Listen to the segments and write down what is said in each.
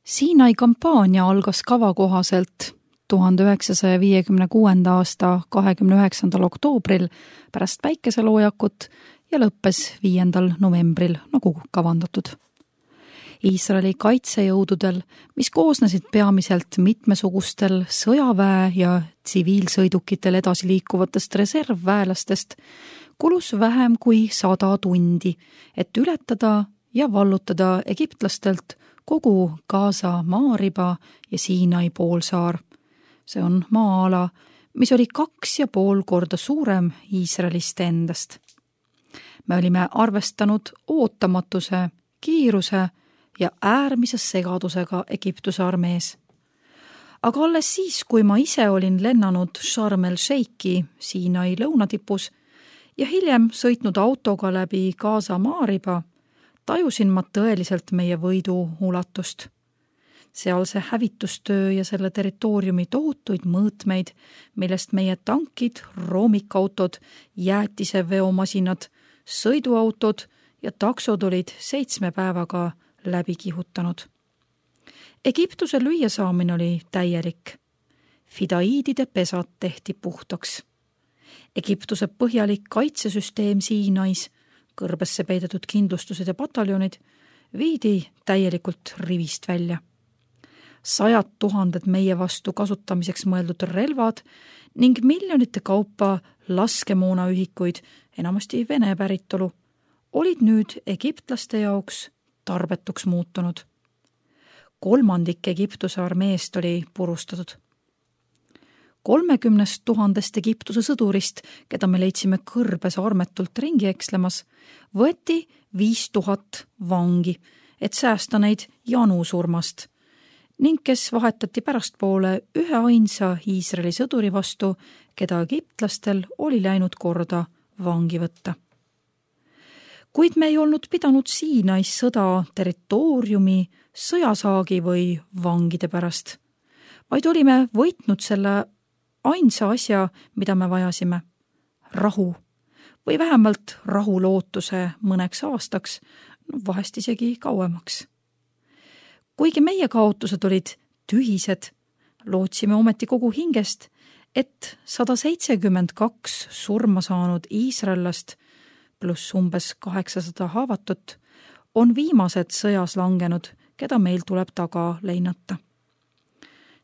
Siinai kampaania algas kava kohaselt 1956. aasta 29. oktoobril pärast päikeseloojakut ja lõppes 5. novembril nagu kavandatud. Iisraeli kaitsejõududel, mis koosnesid peamiselt mitmesugustel sõjaväe ja tsiviilsõidukitel edasi liikuvatest reservväelastest, kulus vähem kui 100 tundi, et ületada ja vallutada egiptlastelt kogu Gaza maariba ja Siinai poolsaar. See on maa-ala, mis oli 2,5 korda suurem Iisraelist endast. Me olime arvestanud ootamatuse, kiiruse ja äärmise segadusega Egiptuse armees. Aga alles siis, kui ma ise olin lennanud Sharm el-Sheikhi Siinai lõunatipus ja hiljem sõitnud autoga läbi Gaza maariba, tajusin ma tõeliselt meie võidu ulatust. Sealse hävitustöö ja selle territooriumi tohutuid mõõtmeid, millest meie tankid, roomikautod, jäätiseveomasinad, sõiduautod ja taksod olid 7 päevaga läbi kihutanud. Egiptuse lüüasaamine oli täielik. Fidaiidide pesad tehti puhtaks. Egiptuse põhjalik kaitsesüsteem Siinais, kõrbesse peidetud kindlustused ja pataljonid, viidi täielikult rivist välja. 100 000 meie vastu kasutamiseks mõeldud relvad ning miljonite kaupa laskemoonaühikuid, enamasti Vene päritolu, olid nüüd egiptlaste jaoks tarbetuks muutunud. 1/3 Egiptuse armeest oli purustatud. 30 000 Egiptuse sõdurist, keda me leidsime kõrbes armetult ringi ekslemas, võeti 5000 vangi, et säästa neid janu surmast, ning kes vahetati pärastpoole üheainsa Iisraeli sõduri vastu, keda egiptlastel oli läinud korda vangi võtta. Kuid me ei olnud pidanud Siinais sõda territooriumi, sõjasaagi või vangide pärast, vaid olime võitnud selle ainsa asja, mida me vajasime, rahu või vähemalt rahulootuse mõneks aastaks, vahest isegi kauemaks. Kuigi meie kaotused olid tühised, lootsime ometi kogu hingest, et 172 surma saanud iisraellast pluss umbes 800 haavatut on viimased sõjas langenud, keda meil tuleb taga leinata.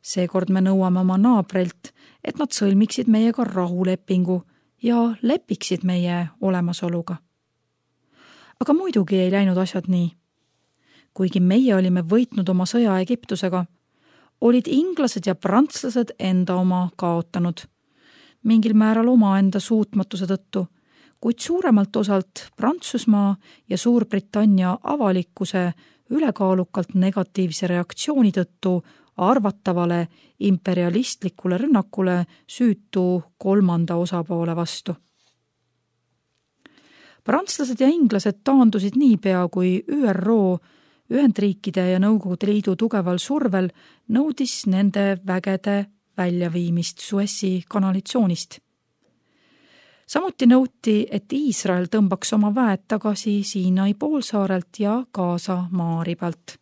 Seekord me nõuame oma naabrilt, et nad sõlmiksid meiega rahulepingu ja lepiksid meie olemasoluga. Aga muidugi ei läinud asjad nii. Kuigi meie olime võitnud oma sõja Egiptusega, olid inglased ja prantslased enda oma kaotanud, mingil määral omaenda suutmatuse tõttu, kuid suuremalt osalt Prantsusmaa ja Suurbritannia avalikkuse ülekaalukalt negatiivse reaktsiooni tõttu arvatavale imperialistlikule rünnakule süütu 3. osapoole vastu. Prantslased ja inglased taandusid niipea, kui ÜRO, Ühendriikide ja Nõukogude Liidu tugeval survel nõudis nende vägede väljaviimist Suessi kanalitsoonist. Samuti nõuti, et Iisrael tõmbaks oma väed tagasi Siinai poolsaarelt ja Gaza maaribalt.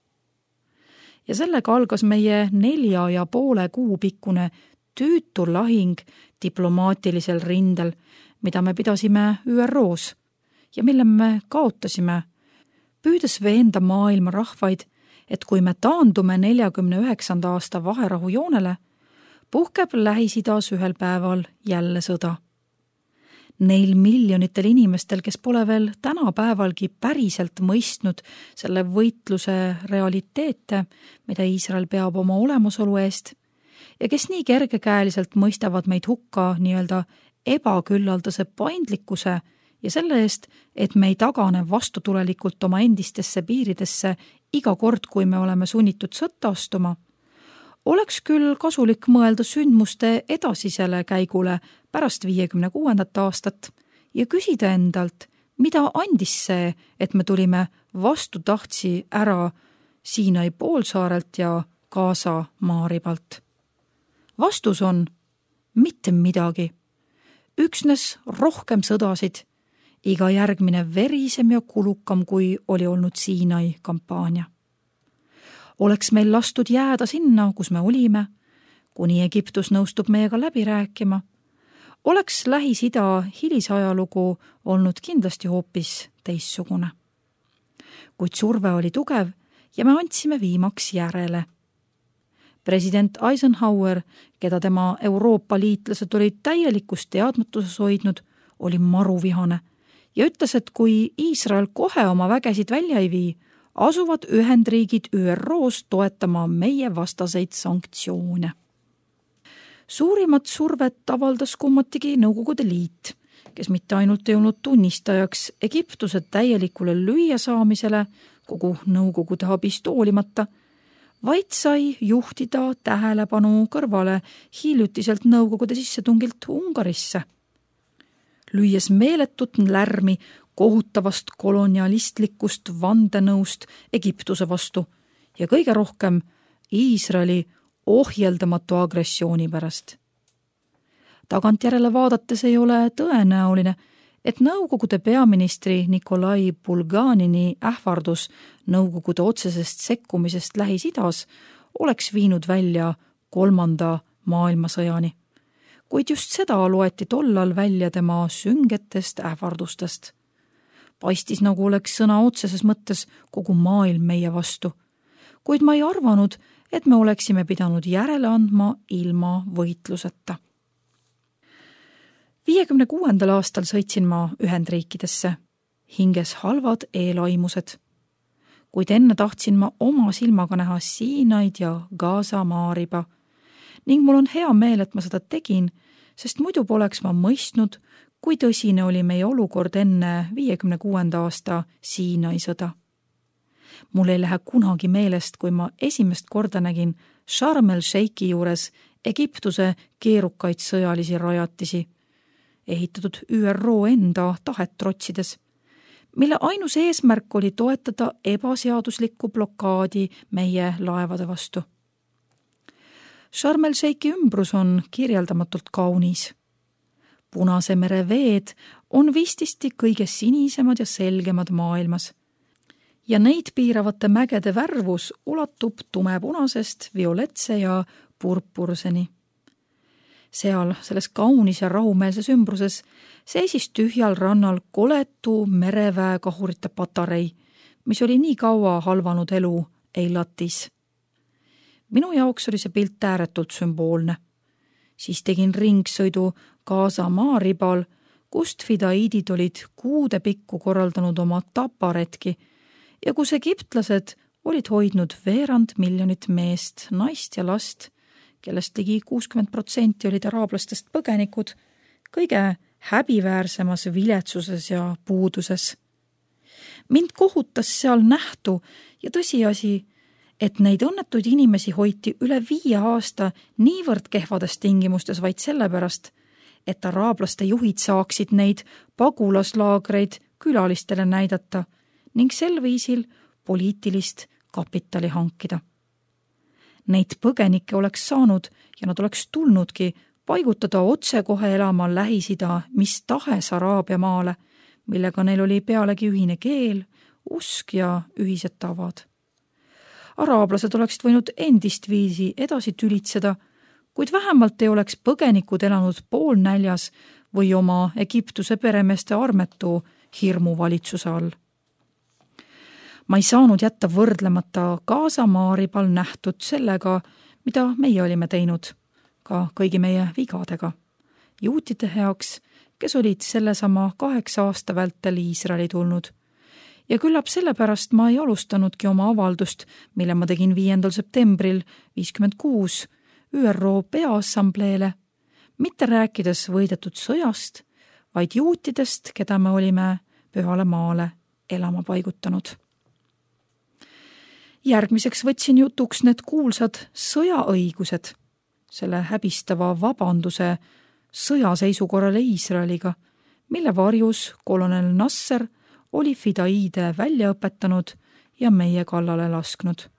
Ja sellega algas meie 4,5 kuu pikkune tüütu lahing diplomaatilisel rindel, mida me pidasime ÜROs ja mille me kaotasime, püüdes veenda maailma rahvaid, et kui me taandume 49. aasta vaherahujoonele, puhkeb Lähis-Idas ühel päeval jälle sõda. Neil miljonitel inimestel, kes pole veel tänapäevalgi päriselt mõistnud selle võitluse realiteete, mida Iisrael peab oma olemasolu eest, ja kes nii kergekäeliselt mõistavad meid hukka nii-öelda ebaküllaldase paindlikkuse ja selle eest, et me ei tagane vastutulelikult oma endistesse piiridesse iga kord, kui me oleme sunnitud sõtta astuma, oleks küll kasulik mõelda sündmuste edasisele käigule pärast 56. aastat ja küsida endalt, mida andis see, et me tulime vastutahtsi ära Siinai poolsaarelt ja Gaza maaribalt. Vastus on mitte midagi. Üksnes rohkem sõdasid, iga järgmine verisem ja kulukam, kui oli olnud Siinai kampaania. Oleks meil lastud jääda sinna, kus me olime, kuni Egiptus nõustub meiega läbi rääkima, oleks Lähis-Ida hilisajalugu olnud kindlasti hoopis teissugune. Kuid surve oli tugev ja me andsime viimaks järele. President Eisenhower, keda tema Euroopa liitlased olid täielikus teadmatuses hoidnud, oli maruvihane ja ütles, et kui Iisrael kohe oma vägesid välja ei vii, asuvad Ühendriigid ÜRO-s toetama meie vastaseid sanktsioone. Suurimat survet avaldas kummatigi Nõukogude Liit, kes mitte ainult ei olnud tunnistajaks Egiptuse täielikule lüüasaamisele kogu Nõukogude abist hoolimata, vaid sai juhtida tähelepanu kõrvale hiljutiselt Nõukogude sissetungilt Ungarisse. Lüües meeletut lärmi kohutavast kolonialistlikust vandenõust Egiptuse vastu ja kõige rohkem Iisraeli ohjeldamatu agressiooni pärast. Tagantjärele vaadates ei ole tõenäoline, et Nõukogude peaministri Nikolai Bulganini ähvardus Nõukogude otsesest sekkumisest Lähis-Idas oleks viinud välja 3. maailmasõjani, kuid just seda loeti tollal välja tema süngetest ähvardustest. Paistis, nagu oleks sõna otseses mõttes kogu maailm meie vastu, kuid ma ei arvanud, et me oleksime pidanud järele andma ilma võitluseta. 56. aastal sõitsin ma Ühendriikidesse, hinges halvad eelaimused. Kuid enne tahtsin ma oma silmaga näha Siinaid ja Gaza maariba ning mul on hea meel, et ma seda tegin, sest muidu poleks ma mõistnud, kui tõsine oli meie olukord enne 56. aasta Siinai sõda. Mul ei lähe kunagi meelest, kui ma esimest korda nägin Sharm el-Sheikhi juures Egiptuse keerukaid sõjalisi rajatisi, ehitatud ÜRO enda tahet trotsides, mille ainus eesmärk oli toetada ebaseaduslikku blokaadi meie laevade vastu. Sharm el-Sheikhi ümbrus on kirjeldamatult kaunis. Punase mere veed on vististi kõige sinisemad ja selgemad maailmas ja neid piiravate mägede värvus ulatub tumepunasest violetse ja purpurseni. Seal, selles kaunis ja rahumeelses ümbruses, seisis tühjal rannal koletu mereväekahurite patarei, mis oli nii kaua halvanud elu Eilatis. Minu jaoks oli see pilt ääretult sümboolne. Siis tegin ringsõidu Gaza maaribal, kust fidaiidid olid kuude pikku korraldanud oma taparetki ja kus egiptlased olid hoidnud 200 000 meest, naist ja last, kellest ligi 60% olid araablastest põgenikud, kõige häbiväärsemas viletsuses ja puuduses. Mind kohutas seal nähtu ja tõsiasi, et neid õnnetuid inimesi hoiti üle 5 aasta niivõrd kehvades tingimustes vaid sellepärast, et araablaste juhid saaksid neid pagulaslaagreid külalistele näidata ning sel viisil poliitilist kapitali hankida. Neid põgenikke oleks saanud ja nad oleks tulnudki paigutada otsekohe elama Lähis-Ida mis tahes Araabia maale, millega neil oli pealegi ühine keel, usk ja ühised tavad. Araablased oleksid võinud endist viisi edasi tülitseda, kuid vähemalt ei oleks põgenikud elanud poolnäljas või oma Egiptuse peremeeste armetu hirmuvalitsuse all. Ma ei saanud jätta võrdlemata Gaza maaribal nähtud sellega, mida meie olime teinud, ka kõigi meie vigadega, juutide heaks, kes olid sellesama 8 aasta vältel Iisraeli tulnud. Ja küllap sellepärast ma ei alustanudki oma avaldust, mille ma tegin 5. septembril 56 ÜRO Peaassambleele, mitte rääkides võidetud sõjast, vaid juutidest, keda me olime pühale maale elama paigutanud. Järgmiseks võtsin jutuks need kuulsad sõjaõigused, selle häbistava vabanduse sõjaseisukorrale Iisraeliga, mille varjus kolonel Nasser oli fidaiide välja õpetanud ja meie kallale lasknud.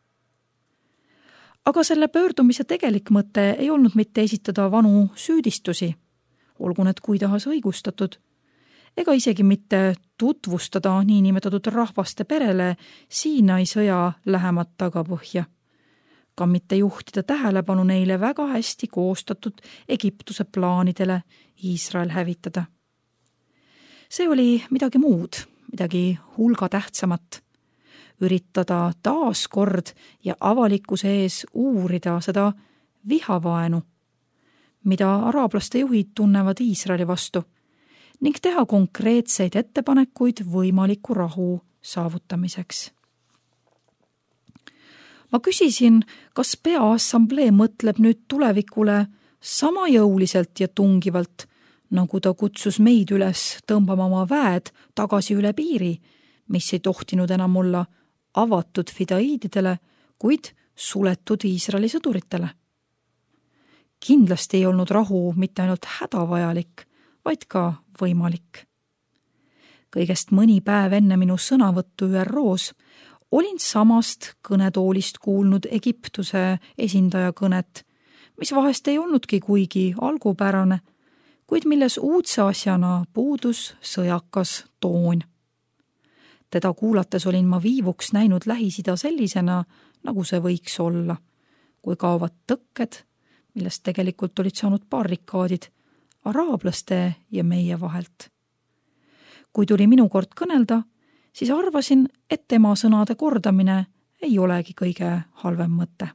Aga selle pöördumise tegelik mõte ei olnud mitte esitada vanu süüdistusi, olgu need kui tahas õigustatud, ega isegi mitte tutvustada niinimetatud rahvaste perele Siinai sõja lähemat tagapõhja, ka mitte juhtida tähelepanu neile väga hästi koostatud Egiptuse plaanidele Iisrael hävitada. See oli midagi muud, midagi hulga tähtsamat. Üritada taas kord ja avalikkuse ees uurida seda vihavaenu, mida araablaste juhid tunnevad Iisraeli vastu, ning teha konkreetseid ettepanekuid võimaliku rahu saavutamiseks. Ma küsisin, kas Peaassamblee mõtleb nüüd tulevikule sama jõuliselt ja tungivalt, nagu ta kutsus meid üles tõmbama oma väed tagasi üle piiri, mis ei tohtinud enam olla avatud fidaiididele, kuid suletud Iisraeli sõduritele. Kindlasti ei olnud rahu mitte ainult hädavajalik, vaid ka võimalik. Kõigest mõni päev enne minu sõnavõttu ÜROs olin samast kõnetoolist kuulnud Egiptuse esindaja kõnet, mis vahest ei olnudki kuigi algupärane, kuid milles uudse asjana puudus sõjakas toon. Teda kuulates olin ma viivuks näinud Lähis-Ida sellisena, nagu see võiks olla, kui kaovad tõkked, millest tegelikult olid saanud barrikaadid araablaste ja meie vahelt. Kui tuli minu kord kõnelda, siis arvasin, et tema sõnade kordamine ei olegi kõige halvem mõte.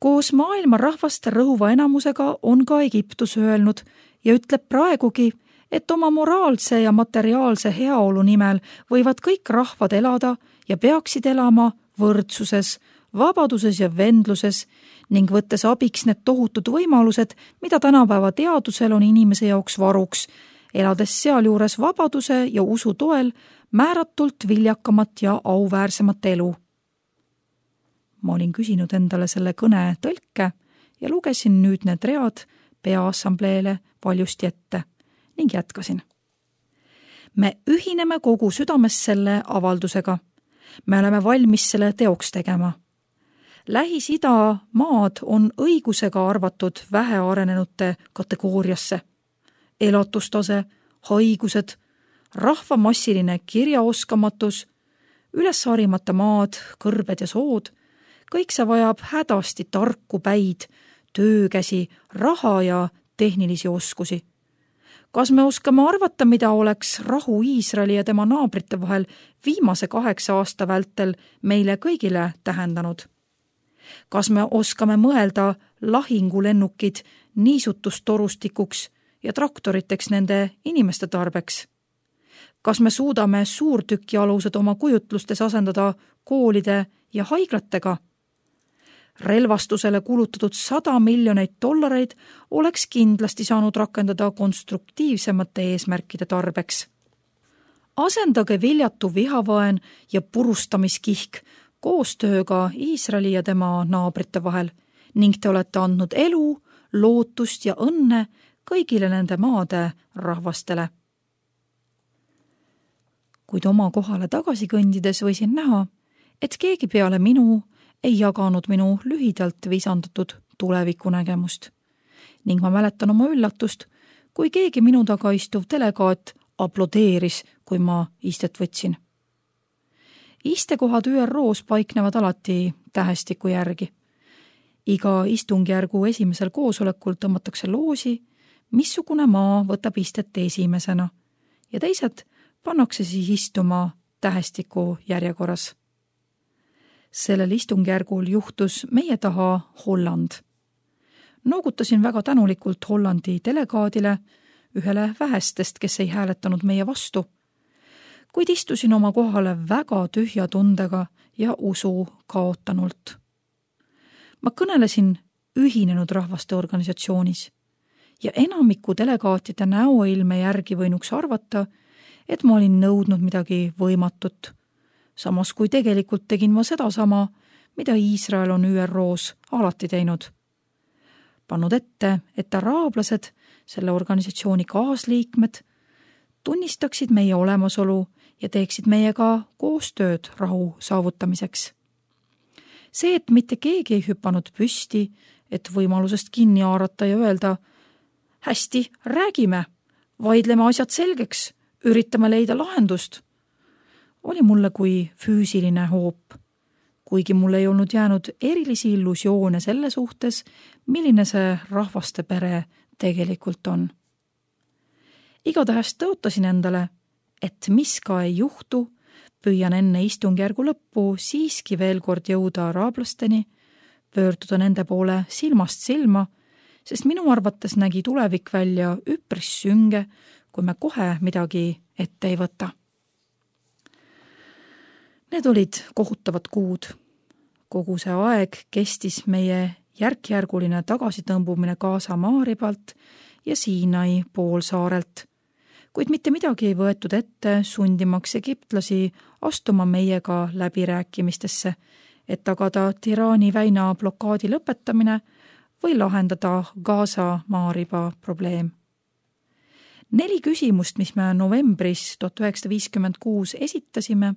Koos maailma rahvaste rõhuva enamusega on ka Egiptus öelnud ja ütleb praegugi, et oma moraalse ja materiaalse heaolu nimel võivad kõik rahvad elada ja peaksid elama võrdsuses, vabaduses ja vendluses ning võttes abiks need tohutud võimalused, mida tänapäeva teadusel on inimese jaoks varuks, elades sealjuures vabaduse ja usu toel määratult viljakamat ja auväärsemat elu. Ma olin küsinud endale selle kõne tõlke ja lugesin nüüd need read Peaassambleele valjusti ette ning jätkasin. Me ühineme kogu südames selle avaldusega. Me oleme valmis selle teoks tegema. Lähis-Ida maad on õigusega arvatud vähearenenute kategooriasse. Elatustase, haigused, rahva massiline kirjaoskamatus, ülesharimata maad, kõrbed ja sood, kõik see vajab hädasti tarku päid, töökäsi, raha ja tehnilisi oskusi. Kas me oskame arvata, mida oleks rahu Iisraeli ja tema naabrite vahel viimase 8 aasta vältel meile kõigile tähendanud? Kas me oskame mõelda lahingulennukid niisutustorustikuks ja traktoriteks nende inimeste tarbeks? Kas me suudame suurtükialused oma kujutlustes asendada koolide ja haiglatega? Relvastusele kulutatud $100 miljonit oleks kindlasti saanud rakendada konstruktiivsemate eesmärkide tarbeks. Asendage viljatu vihavaen ja purustamiskihk koostööga Iisraeli ja tema naabrite vahel ning te olete andnud elu, lootust ja õnne kõigile nende maade rahvastele. Kuid oma kohale tagasi kõndides võisin näha, et keegi peale minu ei jaganud minu lühidalt visandatud tulevikunägemust. Ning ma mäletan oma üllatust, kui keegi minu taga istuv delegaat aplodeeris, kui ma istet võtsin. Istekohad ÜROs paiknevad alati tähestiku järgi. Iga istungjärgu esimesel koosolekul tõmmatakse loosi, missugune maa võtab istet esimesena ja teised pannakse siis istuma tähestiku järjekorras. Sellel istungjärgul juhtus meie taha Holland. Noogutasin väga tänulikult Hollandi delegaadile, ühele vähestest, kes ei hääletanud meie vastu, kuid istusin oma kohale väga tühja tundega ja usu kaotanult. Ma kõnelesin Ühinenud Rahvaste Organisatsioonis ja enamiku delegaatide näoilme järgi võinuks arvata, et ma olin nõudnud midagi võimatut, samas kui tegelikult tegin ma sedasama, mida Iisrael on ÜROs alati teinud. Pannud ette, et araablased, selle organisatsiooni kaasliikmed, tunnistaksid meie olemasolu ja teeksid meiega koostööd rahu saavutamiseks. See, et mitte keegi ei hüpanud püsti, et võimalusest kinni haarata ja öelda, hästi, räägime, vaidleme asjad selgeks, üritame leida lahendust, oli mulle kui füüsiline hoop, kuigi mul ei olnud jäänud erilisi illusioone selle suhtes, milline see rahvaste pere tegelikult on. Igatahes tõotasin endale, et mis ka ei juhtu, püüan enne istungjärgu lõppu siiski veel kord jõuda araablasteni, pöörduda nende poole silmast silma, sest minu arvates nägi tulevik välja üpris sünge, kui me kohe midagi ette ei võta. Need olid kohutavad kuud. Kogu see aeg kestis meie järk-järguline tagasitõmbumine Gaza maaribalt ja Siinai poolsaarelt, kuid mitte midagi ei võetud ette sundimaks egiptlasi astuma meiega läbirääkimistesse, et tagada Tirani väina blokaadi lõpetamine või lahendada Gaza maariba probleem. 4 küsimust, mis me novembris 1956 esitasime,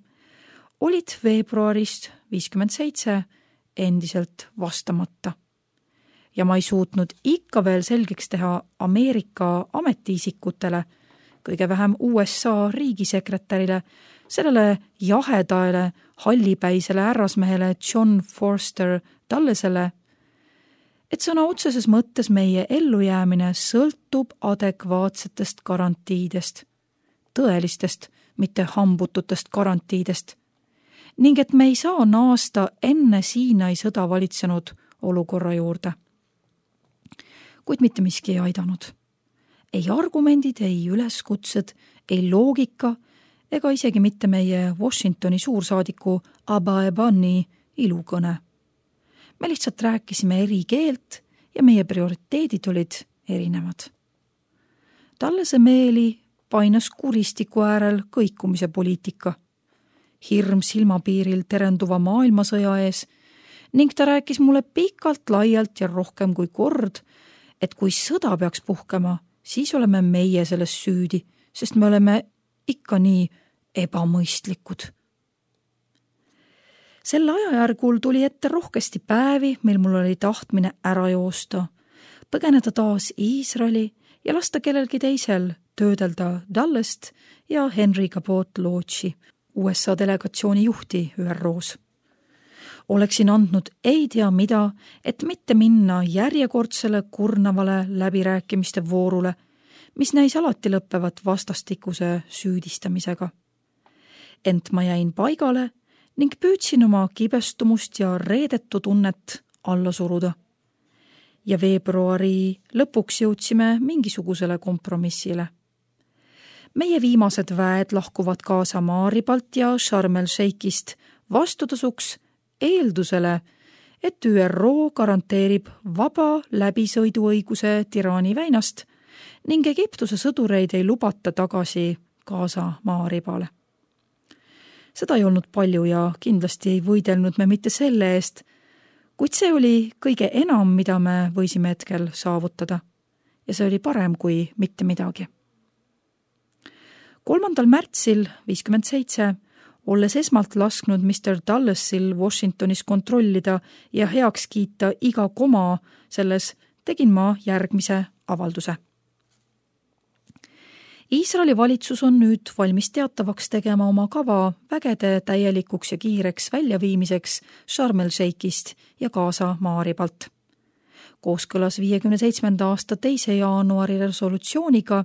olid veebruarist 57 endiselt vastamata. Ja ma ei suutnud ikka veel selgeks teha Ameerika ametiisikutele, kõige vähem USA riigisekretärile, sellele jahedaele, hallipäisele härrasmehele John Forster Dullesele, et sõna otseses mõttes meie ellujäämine sõltub adekvaatsetest garantiidest, tõelistest, mitte hambututest garantiidest, ning et me ei saa naasta enne Siinai sõda valitsenud olukorra juurde. Kuid mitte miski ei aidanud. Ei argumendid, ei üleskutsed, ei loogika ega isegi mitte meie Washingtoni suursaadiku Abba Ebani ilukõne. Me lihtsalt rääkisime eri keelt ja meie prioriteedid olid erinevad. Tallese meeli painas kuristiku äärel kõikumise poliitika, hirm silmapiiril terenduva maailmasõja ees ning ta rääkis mulle pikalt, laialt ja rohkem kui kord, et kui sõda peaks puhkema, siis oleme meie selles süüdi, sest me oleme ikka nii ebamõistlikud. Sel ajajärgul tuli ette rohkesti päevi, mil mul oli tahtmine ära joosta, põgeneda taas Iisraeli ja lasta kellelgi teisel töödelda Dullest ja Henry Cabot Lodge'i, USA delegatsiooni juhti ÜROs. Oleksin andnud ei tea mida, et mitte minna järjekordsele kurnavale läbirääkimiste voorule, mis näis alati lõppevat vastastikuse süüdistamisega. Ent ma jäin paigale ning püüdsin oma kibestumust ja reedetu tunnet alla suruda. Ja veebruari lõpuks jõudsime mingisugusele kompromissile. Meie viimased väed lahkuvad Gaza maaribalt ja Sharm el-Sheikhist vastutasuks eeldusele, et ÜRO garanteerib vaba läbisõiduõiguse Tirani väinast ning Egiptuse sõdureid ei lubata tagasi Gaza maaribale. Seda ei olnud palju ja kindlasti ei võidelnud me mitte selle eest, kuid see oli kõige enam, mida me võisime hetkel saavutada ja see oli parem kui mitte midagi. 3. märtsil 57, olles esmalt lasknud Mr. Dullesil Washingtonis kontrollida ja heaks kiita iga koma selles, tegin ma järgmise avalduse. Iisraeli valitsus on nüüd valmis teatavaks tegema oma kava vägede täielikuks ja kiireks väljaviimiseks Sharm el-Sheikhist ja Gaza maaribalt. Kooskõlas 57. aasta 2. jaanuari resolutsiooniga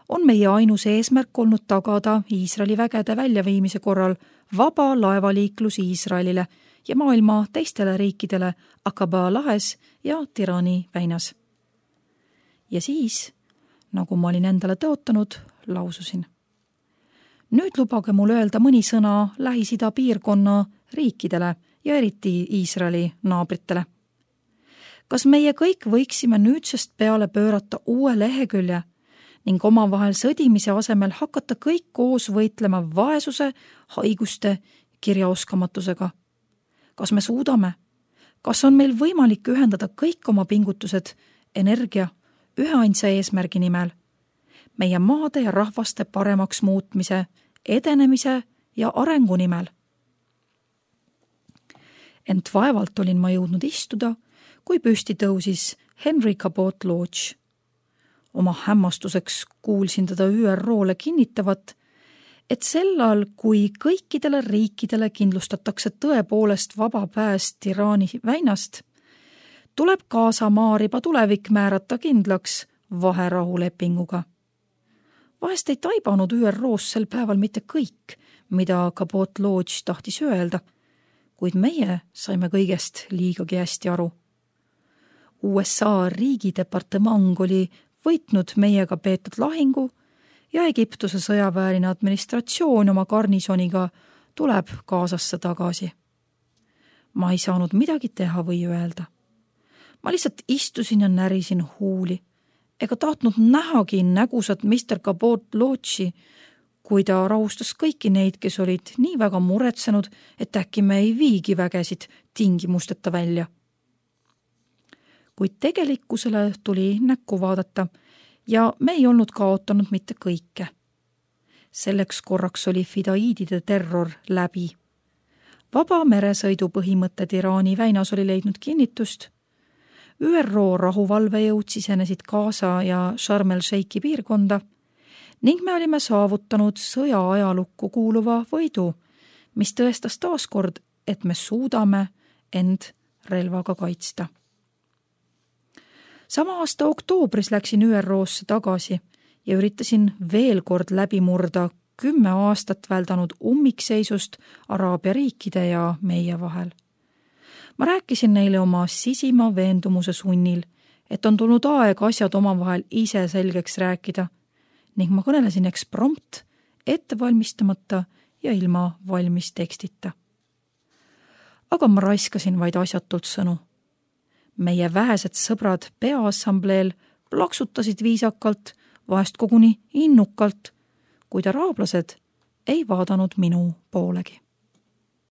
on meie ainus eesmärk olnud tagada Iisraeli vägede väljaviimise korral vaba laevaliiklus Iisraelile ja maailma teistele riikidele Aqaba lahes ja Tirani väinas. Ja siis, nagu ma olin endale tõotanud, laususin. Nüüd lubage mul öelda mõni sõna Lähis-Ida piirkonna riikidele ja eriti Iisraeli naabritele. Kas meie kõik võiksime nüüdsest peale pöörata uue lehekülje ning omavahel sõdimise asemel hakata kõik koos võitlema vaesuse, haiguste, kirjaoskamatusega? Kas me suudame? Kas on meil võimalik ühendada kõik oma pingutused, energia, üheainsa eesmärgi nimel? Meie maade ja rahvaste paremaks muutmise, edenemise ja arengu nimel? Ent vaevalt olin ma jõudnud istuda, kui püsti tõusis Henry Cabot Lodge. Oma hämmastuseks kuulsin teda ÜROle kinnitavat, et sellal, kui kõikidele riikidele kindlustatakse tõepoolest vaba pääs Iraani väinast, tuleb Gaza maariba tulevik määrata kindlaks vaherahulepinguga. Vahest ei taibanud ÜRO-s sel päeval mitte kõik, mida Cabot Lodge tahtis öelda, kuid meie saime kõigest liigagi hästi aru. USA riigidepartement oli võitnud meiega peetud lahingu ja Egiptuse sõjaväeline administratsioon oma garnisoniga tuleb Gazasse tagasi. Ma ei saanud midagi teha või öelda. Ma lihtsalt istusin ja närisin huuli, ega tahtnud nähagi nägusat Mr. Cabot Lodge'i, kui ta rahustas kõiki neid, kes olid nii väga muretsenud, et äkki me ei viigi vägesid tingimusteta välja. Kuid tegelikkusele tuli näkku vaadata ja me ei olnud kaotanud mitte kõike. Selleks korraks oli fidaiidide terror läbi. Vaba meresõidu põhimõtted Iraani väinas oli leidnud kinnitust. ÜRO rahuvalvejõud sisenesid Gaza ja Sharm el-Sheikhi piirkonda ning me olime saavutanud sõja ajalukku kuuluva võidu, mis tõestas taaskord, et me suudame end relvaga kaitsta. Sama aasta oktoobris läksin ÜRO-sse tagasi ja üritasin veel kord läbi murda 10 aastat väldanud ummikseisust Araabia riikide ja meie vahel. Ma rääkisin neile oma sisima veendumuse sunnil, et on tulnud aeg asjad omavahel ise selgeks rääkida ning ma kõnelesin eksprompt, ettevalmistamata ja ilma valmis tekstita. Aga ma raiskasin vaid asjatult sõnu. Meie vähesed sõbrad peaassambleel plaksutasid viisakalt, vahest koguni innukalt, kuid araablased ei vaadanud minu poolegi.